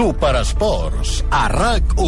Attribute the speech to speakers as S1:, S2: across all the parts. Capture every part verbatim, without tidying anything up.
S1: Superesports, a RAC u.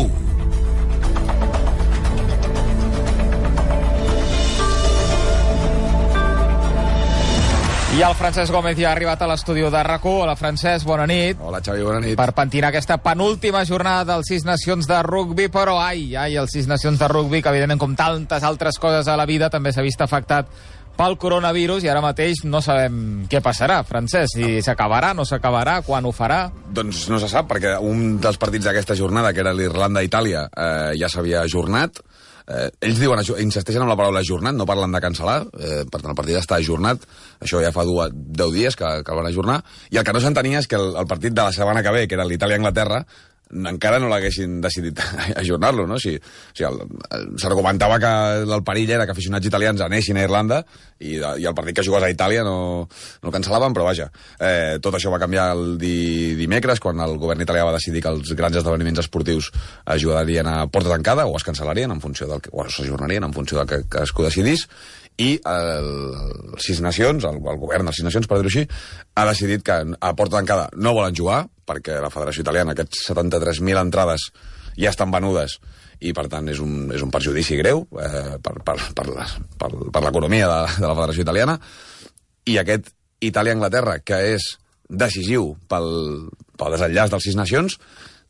S2: I el Francesc Gómez ja ha arribat a l'estudi de RAC u. Hola, Francesc, bona nit.
S3: Hola, Xavi, bona nit.
S2: Per pentinar aquesta penúltima jornada dels Sis Nacions de rugbi, però ai, ai, els Sis Nacions de rugbi, que evidentment com tantes altres coses a la vida també s'ha vist afectat pel coronavirus i ara mateix no sabem què passarà, Francesc, si s'acabarà, no s'acabarà, quan ho farà.
S3: Doncs no se sap, perquè un dels partits d'aquesta jornada, que era l'Irlanda-Itàlia, eh, ja s'havia ajornat. Eh, ells diuen, insisteixen en la paraula ajornat, no parlen de cancel·lar, eh, per tant el partit està ajornat, això ja fa dues, deu dies que, que el van ajornar, i el que no s'entenia és que el, el partit de la setmana que ve, que era l'Itàlia-Anglaterra, encara no l'haguessin decidit ajornar-lo, no? O sigui, o sigui, s'argumentava que el perill era que aficionats italians anessin a Irlanda i, i el partit que jugués a Itàlia no, no el cancel·laven, però vaja, eh, tot això va canviar el di, dimecres, quan el govern italià va decidir que els grans esdeveniments esportius es jugarien a porta tancada o es cancel·larien en funció del que, o s'ajornarien en funció del que cadascú decidís, i el, el Sis Nacions, el, el govern dels Sis Nacions, per dir-ho així, ha decidit que a porta tancada no volen jugar, perquè la Federació Italiana, aquests setanta-tres mil entrades ja estan venudes, i per tant és un, és un perjudici greu eh, per, per, per, per, per l'economia de, de la Federació Italiana, i aquest Itàlia-Anglaterra, que és decisiu pel, pel desenllaç dels Sis Nacions,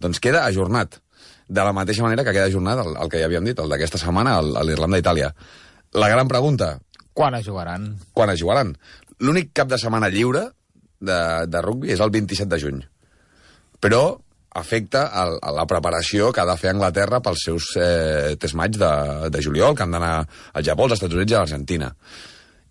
S3: doncs queda ajornat, de la mateixa manera que queda ajornat el, el que ja havíem dit, el d'aquesta setmana, l'Irlanda-Itàlia. La gran pregunta...
S2: Quan es jugaran?
S3: Quan es jugaran? L'únic cap de setmana lliure de, de rugbi és el vint-i-set de juny. Però afecta a, a la preparació que ha de fer Anglaterra pels seus eh, test match de, de juliol, que han d'anar al Japó, als Estats Units i a l'Argentina.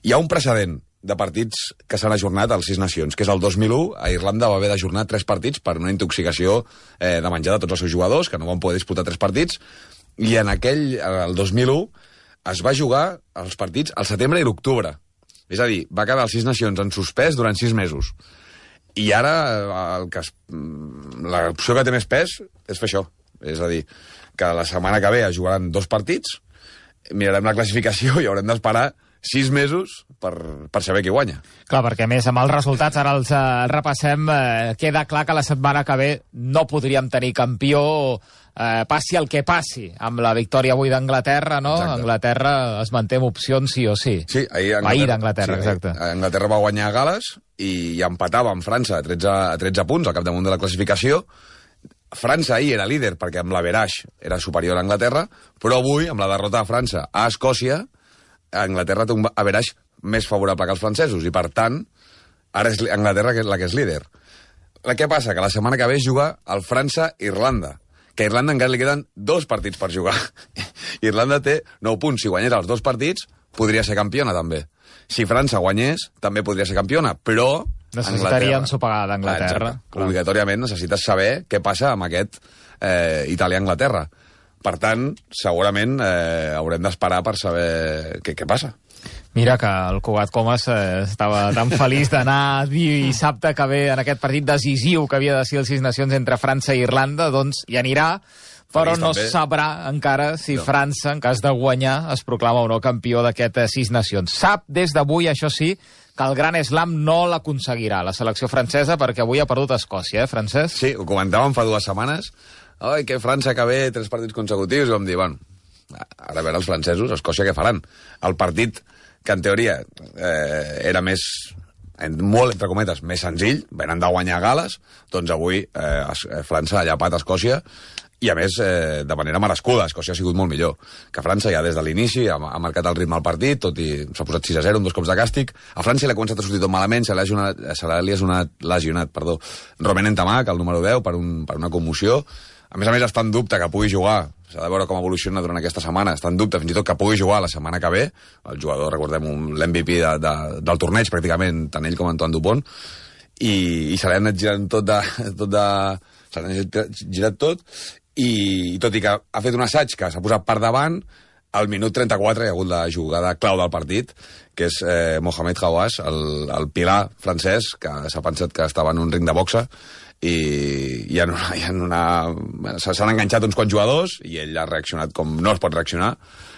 S3: Hi ha un precedent de partits que s'han ajornat als Sis Nacions, que és el dos mil u, a Irlanda va haver d'ajornar tres partits per una intoxicació eh, de menjar de tots els seus jugadors, que no van poder disputar tres partits, i en aquell, el dos mil u, es va jugar els partits al setembre i l'octubre. És a dir, va quedar els Sis Nacions en suspès durant sis mesos. I ara el que es, l'opció que té més pes és fer això. És a dir, que la setmana que ve es jugaran dos partits, mirarem la classificació i haurem d'esperar sis mesos per, per saber qui guanya.
S2: Clar, perquè a més amb els resultats, ara els eh, repassem, eh, queda clar que la setmana que ve no podríem tenir campió, eh, passi el que passi, amb la victòria avui d'Anglaterra, no?
S3: Exacte.
S2: Anglaterra es manté amb opcions sí o sí.
S3: Sí, ahir Anglaterra,
S2: ahir d'Anglaterra,
S3: sí,
S2: exacte.
S3: Ahir, Anglaterra va guanyar a Gales i, i empatava amb França a tretze, a tretze punts al capdamunt de la classificació. França ahir era líder perquè amb l'average era superior a Anglaterra, però avui, amb la derrota de França a Escòcia, Anglaterra té un average més favorable que els francesos i, per tant, ara és Anglaterra la que és líder. Què passa? Que la setmana que ve es juga el França-Irlanda, que a Irlanda encara li queden dos partits per jugar. Irlanda té nou punts. Si guanyés els dos partits, podria ser campiona, també. Si França guanyés, també podria ser campiona, però...
S2: Necessitaria ensopegar d'Anglaterra.
S3: Obligatòriament necessites saber què passa amb aquest eh, Itàlia-Anglaterra. Per tant, segurament eh, haurem d'esperar per saber què, què passa.
S2: Mira que el Cugat Comas eh, estava tan feliç d'anar dissabte que ve en aquest partit decisiu que havia de ser els Sis Nacions entre França i Irlanda, doncs hi anirà, però no també sabrà encara si no. França, en cas de guanyar, es proclama o no campió d'aquest Sis Nacions. Sap des d'avui, això sí, que el Gran Slam no l'aconseguirà la selecció francesa, perquè avui ha perdut Escòcia, eh, Francesc?
S3: Sí, ho comentàvem fa dues setmanes. Ai, que França que ve tres partits consecutius, i vam dir, bueno, ara a veure els francesos, Escòcia què faran? El partit que en teoria eh, era més, molt entre cometes, més senzill, venen de guanyar a Gales, doncs avui eh, França ha llapat Escòcia, i a més eh, de manera merescuda. Escòcia ha sigut molt millor que França, ja des de l'inici ha, ha marcat el ritme al partit, tot i s'ha posat sis a zero, amb dos cops de càstig. A França l'ha començat a sortir tot malament, se l'ha lesionat, lesionat perdó, Romain Ntamak, el número deu, per, un, per una commoció. A més a més, està en dubte que pugui jugar, s'ha de veure com evoluciona durant aquesta setmana, està en dubte fins i tot que pugui jugar la setmana que ve, el jugador, recordem, l'M V P de, de, del torneig, pràcticament, tant ell com Antoine Dupont, i, i se l'ha anat girant tot de... Tot de se l'ha anat girat tot, i, i tot i que ha fet un assaig que s'ha posat per davant, al minut trenta-quatre hi ha hagut la jugada clau del partit, que és eh, Mohamed Hawass, el, el pilar francès, que s'ha pensat que estava en un ring de boxa, i hi ha una, hi ha una... s'han enganxat uns quants jugadors i ell ha reaccionat com no es pot reaccionar,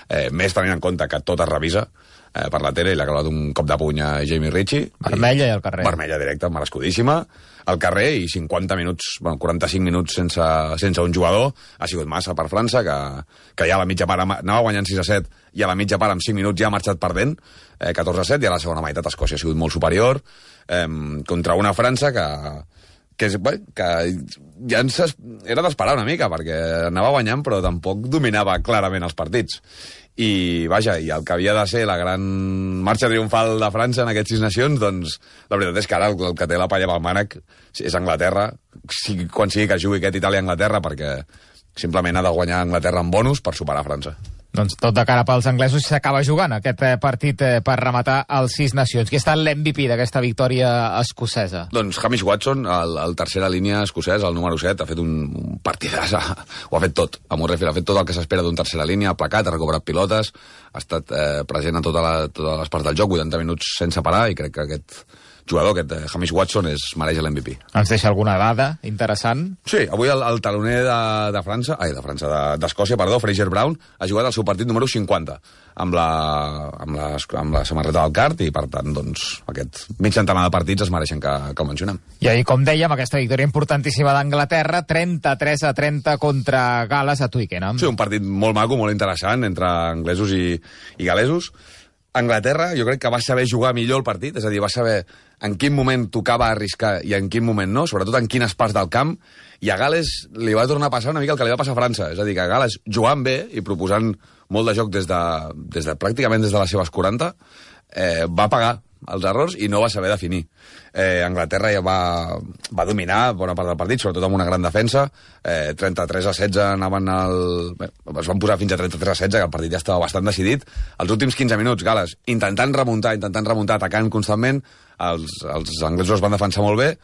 S3: eh, més tenint en compte que tot es revisa, eh, per la tele i l'ha clavat un cop de puny a Jamie Ritchie.
S2: Vermella i, i al carrer.
S3: Vermella directa, merescudíssima. Al carrer i cinquanta minuts, bueno, quaranta-cinc minuts sense, sense un jugador. Ha sigut massa per França, que, que ja a la mitja part anava guanyant sis a set i a la mitja part amb cinc minuts ja ha marxat perdent, eh, catorze a set, i a la segona meitat Escòcia ha sigut molt superior eh, contra una França que, que, bé, que ja ens era d'esperar una mica, perquè anava guanyant però tampoc dominava clarament els partits. I, vaja, i el que havia de ser la gran marxa triomfal de França en aquests sis nacions, doncs, la veritat és que ara el, el que té la palla pel mànec és Anglaterra, sigui, quan sigui que jugui aquest Itàlia-Anglaterra, perquè simplement ha de guanyar Anglaterra en bonus per superar França.
S2: Doncs tot de cara pels anglesos s'acaba jugant aquest partit per rematar els sis nacions. Qui està l'M V P d'aquesta victòria escocesa?
S3: Doncs Hamish Watson, el, el tercera línia escocès, el número set, ha fet un, un partidàs, ho ha fet tot. A Murrayfield ha fet tot el que s'espera d'un tercera línia, ha placat, ha recuperat pilotes, ha estat eh, present a tota la, totes les parts del joc, vuitanta minuts sense parar, i crec que aquest jugador, aquest eh, Hamish Watson, és, mereix l'M V P.
S2: Ens deixa alguna dada interessant?
S3: Sí, avui el, el taloner de, de França, ai, de França, d'Escòcia, perdó, Fraser Brown, ha jugat el seu partit número cinquanta amb la, amb la, amb la samarreta del cart, i per tant, doncs, aquest mig centenar de partits es mereixen que, que el mencionem.
S2: I ahir, com dèiem, aquesta victòria importantíssima d'Anglaterra, trenta-tres a trenta contra Gal·les a Twickenham.
S3: Sí, un partit molt maco, molt interessant, entre anglesos i, i gal·lesos. Anglaterra, jo crec que va saber jugar millor el partit, és a dir, va saber en quin moment tocava arriscar i en quin moment no, sobretot en quines parts del camp, i a Gal·les li va tornar a passar una mica el que li va passar a França, és a dir, que a Gal·les, jugant bé i proposant molt de joc des de, des de pràcticament des de les seves quaranta, eh, va pagar els errors i no va saber definir. Eh, Anglaterra ja va, va dominar bona part del partit, sobretot amb una gran defensa. Eh, trenta-tres a setze anaven al... Bé, es van posar fins a trenta-tres a setze, que el partit ja estava bastant decidit. Els últims quinze minuts, Gal·les, intentant remuntar, intentant remuntar, atacant constantment, els, els anglesos es van defensar molt bé,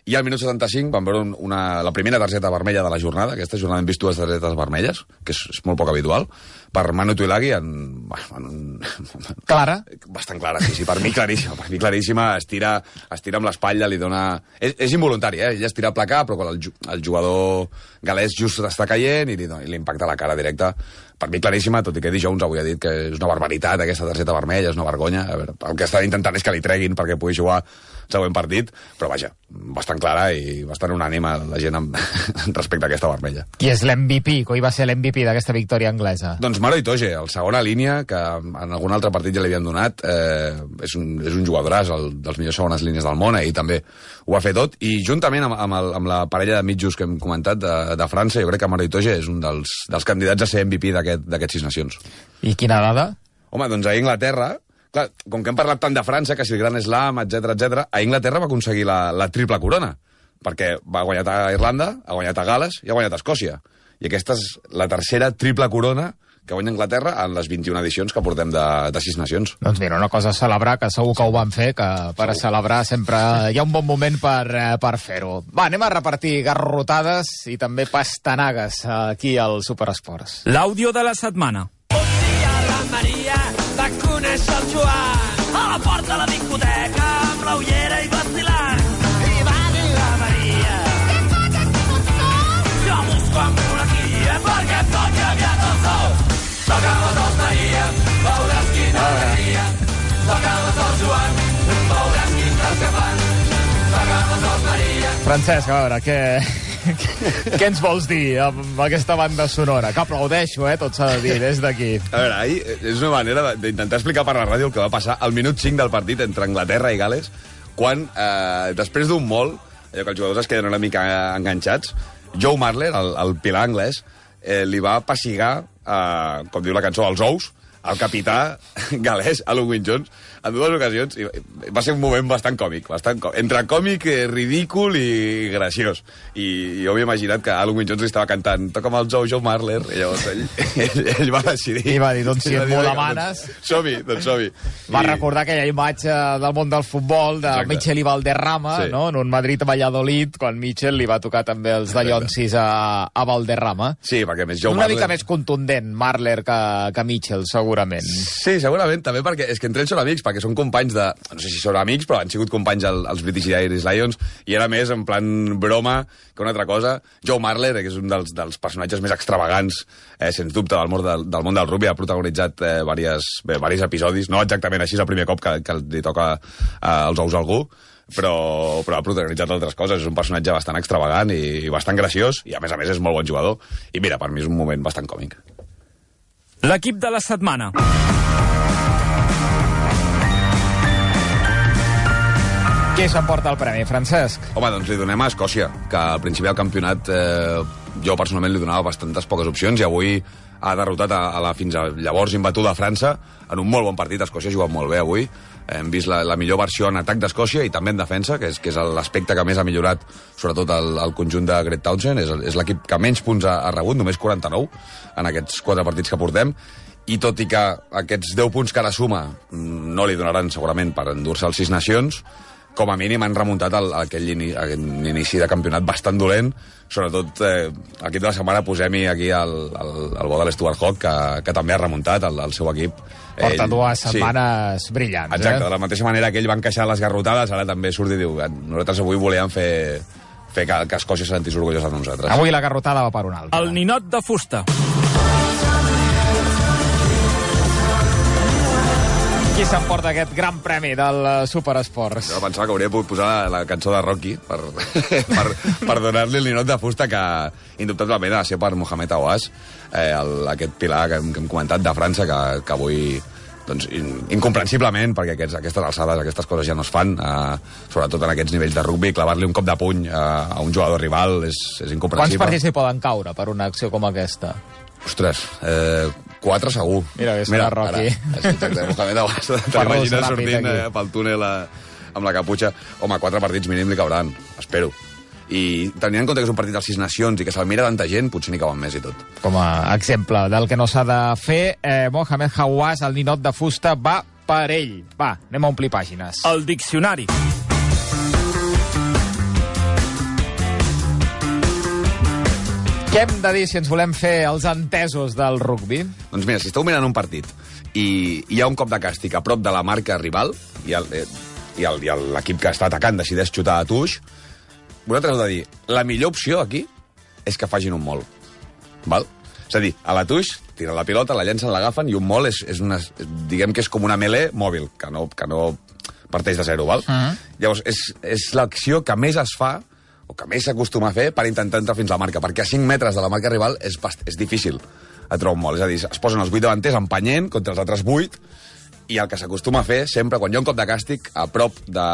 S3: i al minut setanta-cinc van veure una, la primera targeta vermella de la jornada. Aquesta jornada hem vist dues targetes vermelles, que és, és molt poc habitual, per Manu Tuilagi en, en, en...
S2: Clara?
S3: Bastant clara, sí, sí, per mi claríssima. Per mi claríssima, es tira, es tira amb l'espatlla, li dona... És, és involuntari, eh? Ella es tira a placar, però quan el, el jugador galès just està caient i li, i li impacta la cara directa. Per mi claríssima, tot i que Eddie Jones avui ha dit que és una barbaritat aquesta targeta vermella, és una vergonya. A veure, el que estan intentant és que li treguin perquè pugui jugar el següent partit, però vaja, bastant clara i bastant unànime la gent amb, respecte a aquesta vermella.
S2: Qui és l'M V P? Qui va ser l'M V P d'aquesta victòria anglesa?
S3: Doncs Maro Itoje, el segona línia, que en algun altre partit ja li havien donat, eh, és, un, és un jugadoràs, el, dels millors segones línies del món, i també ho ha fet tot, i juntament amb, amb, el, amb la parella de mitjos que hem comentat de, de França, jo crec que Maro Itoje és un dels, dels candidats a ser M V P d'aquests sis nacions.
S2: I quina dada?
S3: Home, doncs a Inglaterra, clar, com que hem parlat tant de França, que si el Gran Slam, etcètera, etcètera, a Inglaterra va aconseguir la, la triple corona, perquè va guanyar a Irlanda, ha guanyat a Gal·les i ha guanyat a Escòcia. I aquesta és la tercera triple corona que guanya Anglaterra en les vint-i-una edicions que portem de, de sis nacions.
S2: Doncs mira, una cosa a celebrar, que segur que ho van fer, que per a celebrar sempre hi ha un bon moment per, per fer-ho. Va, anem a repartir garrotades i també pastanagues aquí al Superesports.
S1: L'àudio de la setmana.
S4: Un dia la Maria va conèixer el Joan a la porta de la discoteca amb la ullera i vacilant. I va dir la Maria: què faig aquí on som? Jo busco amb una guia perquè tot canviat el sou. Toca les dos Maria, veuràs quina alegria. Toca les dos Joan, veuràs quin cas que fan. Toca les dos Maria.
S2: Francesc, a veure, què... Què ens vols dir amb aquesta banda sonora? Que aplaudeixo, eh? Tot s'ha de dir, des d'aquí.
S3: A veure, ahir és una manera d'intentar explicar per la ràdio el que va passar al minut cinc del partit entre Anglaterra i Gal·les, quan, eh, després d'un molt, allò que els jugadors es queden una mica enganxats, Joe Marler, el, el pilar anglès, eh, li va pessigar, eh, com diu la cançó, els ous, al capità galès, Alun Wyn-Jones, en dues ocasions. I va ser un moment bastant còmic, bastant còmic. Entre còmic, eh, ridícul i graciós. I jo m'he imaginat que Alun Wyn-Jones li estava cantant "Toca'm els ous, Joe Marler", i llavors ell, ell, ell va decidir...
S2: I va dir, doncs si et m'ho demanes...
S3: Som-hi, doncs som-hi.
S2: Va I... recordar aquella imatge del món del futbol, de Exacte. Michel i Valderrama, sí. no? En un Madrid-Valladolid, quan Michel li va tocar també els dallonsis a, a Valderrama.
S3: Sí, perquè més Joe
S2: Una
S3: Marler...
S2: mica més contundent, Marler, que, que Michel, segurament.
S3: Sí, segurament, també perquè és que entre ells són amics, perquè perquè són companys de... No sé si són amics, però han sigut companys el, els British i Irish Lions, i era més en plan broma que una altra cosa. Joe Marler, que és un dels, dels personatges més extravagants, eh, sens dubte, del món del, del món del rugby, ha protagonitzat eh, diversos, bé, diversos episodis, no exactament així, és el primer cop que, que li toca eh, els ous a algú, però, però ha protagonitzat altres coses. És un personatge bastant extravagant i, i bastant graciós, i a més a més és molt bon jugador. I mira, per mi és un moment bastant còmic.
S1: L'equip de la setmana.
S2: Qui s'emporta el premi, Francesc?
S3: Home, doncs li donem a Escòcia, que al principi del campionat eh, jo personalment li donava bastantes poques opcions i avui ha derrotat a, a la fins a llavors imbatuda França en un molt bon partit. Escòcia ha jugat molt bé avui. Hem vist la, la millor versió en atac d'Escòcia i també en defensa, que és, que és l'aspecte que més ha millorat, sobretot el, el conjunt de Greg Townsend. És, és l'equip que menys punts ha, ha rebut, només quaranta-nou en aquests quatre partits que portem. I tot i que aquests deu punts que ara suma no li donaran segurament per endur-se als Sis Nacions, com a mínim han remuntat el, aquell, ini, aquell inici de campionat bastant dolent. Sobretot, eh, aquí de la setmana posem-hi aquí el, el, el bo de l'Stuart Hawk, que, que també ha remuntat el, el seu equip.
S2: Porta ell, dues setmanes sí, brillants.
S3: Exacte,
S2: eh?
S3: de la mateixa manera que ell va encaixar les garrotades, ara també surt i diu nosaltres avui volíem fer, fer que, que Escòcia se sentís orgullosa de nosaltres.
S2: Avui la garrotada va per un altre.
S1: El ninot de fusta.
S2: Qui s'emporta aquest gran premi del Superesports?
S3: Jo pensava que hauria pogut posar la, la cançó de Rocky per, per, per donar-li el ninot de fusta, que indubtablement ha de ser per Mohamed Aouas, eh, el, aquest pilar que hem, que hem comentat de França, que, que avui, doncs, in, incomprensiblement, perquè aquests, aquestes alçades, aquestes coses ja no es fan, eh, sobretot en aquests nivells de rugby, clavar-li un cop de puny eh, a un jugador rival és, és incomprensible.
S2: Quants partits li poden caure per una acció com aquesta?
S3: Ostres, eh, quatre segur.
S2: Mira, és Mira, Rocky.
S3: Ara, exacte, Mohamed Aouas, t'imagines sortint eh, pel túnel eh, amb la caputxa. Home, quatre partits mínim li cauran, espero. I tenint en compte que és un partit dels Sis Nacions i que se'l mira tanta gent, potser n'hi cauen més i tot.
S2: Com a exemple del que no s'ha de fer, eh, Mohamed Aouas, el ninot de fusta, va per ell. Va, anem a omplir pàgines.
S1: El diccionari.
S2: Què hem de dir si ens volem fer els entesos del rugby?
S3: Doncs mira, si esteu mirant un partit i hi ha un cop de càstig a prop de la marca rival i l'equip que està atacant decideix xutar a tuix, vosaltres heu de dir, la millor opció aquí és que facin un mol. Val? És a dir, a la tuix tiren la pilota, la llencen, l'agafen i un mol és, és una, diguem que és com una melee mòbil, que no, que no parteix de zero, val? Uh-huh. Llavors, és, és l'acció que més es fa o que més s'acostuma a fer per intentar entrar fins a la marca, perquè a cinc metres de la marca rival és, és difícil a trobar un mol. És a dir, es posen els vuit davanters empenyent contra els altres vuit, i el que s'acostuma a fer sempre, quan hi ha un cop de càstig a prop de,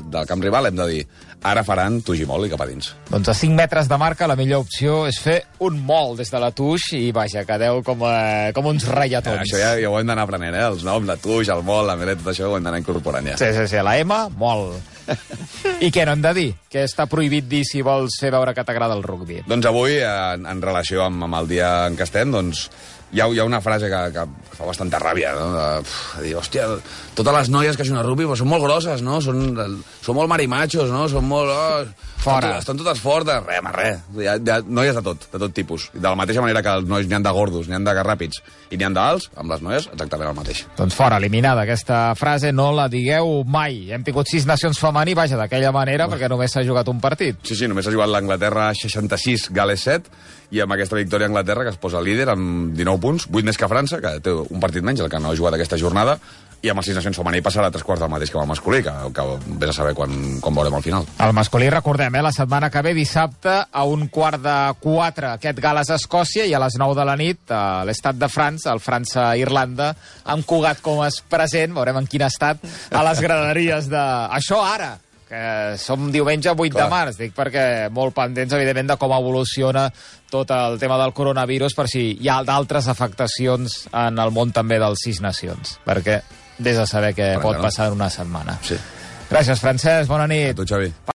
S3: del camp rival, hem de dir, ara faran tuix i mol i cap a dins.
S2: Doncs a cinc metres de marca la millor opció és fer un mol des de la tuix i, vaja, quedeu com, eh, com uns reiatons.
S3: Eh, això ja, ja ho hem d'anar aprenent, eh? Els noms, la tuix, el mol, la melet, tot això ho hem d'anar incorporant ja.
S2: Sí, sí, sí, la M, mol. I què no hem de dir? Què està prohibit dir si vols fer veure que t'agrada el rugby?
S3: Doncs avui, en, en relació amb, amb el dia en què estem, doncs hi ha, hi ha una frase que, que fa bastanta ràbia, no? De, de dir, hòstia, totes les noies que juguen a rugby pues, són molt grosses, no? Són, són molt marimachos, no? Són molt... Oh,
S2: fora.
S3: Estan, estan totes fortes. Res, home, res. Hi ha, hi ha noies de tot, de tot tipus. De la mateixa manera que els nois n'hi han de gordos, n'hi han de ràpids i n'hi han d'alts, amb les noies exactament el mateix.
S2: Doncs fora, eliminada aquesta frase, no la digueu mai. Hem tingut Sis Nacions femení, vaja, d'aquella manera, perquè només s'ha jugat un partit.
S3: Sí, sí, només s'ha jugat l'Anglaterra seixanta-sis, Gal·les set, i amb aquesta victòria Anglaterra, que es posa líder amb dinou punts, vuit més que França, que té un partit menys, el que no ha jugat aquesta jornada, i amb el Sis Nacions femení passarà a tres quarts del mateix que amb el masculí, que, que vés a saber quan, quan veurem al final.
S2: El masculí, recordem, eh, la setmana que ve, dissabte, a un quart de quatre, aquest Gal·les-Escòcia, i a les nou de la nit, a l'estat de França, el França-Irlanda, amb Cugat com es present, veurem en quin estat, a les graderies de... Això ara! Que som diumenge vuit Clar. de març, dic perquè molt pendents, evidentment, de com evoluciona tot el tema del coronavirus, per si hi ha d'altres afectacions en el món també dels Sis Nacions, perquè des de saber què pot passar en una setmana.
S3: Sí.
S2: Gràcies, Francesc, bona nit.
S3: A tu, Xavi.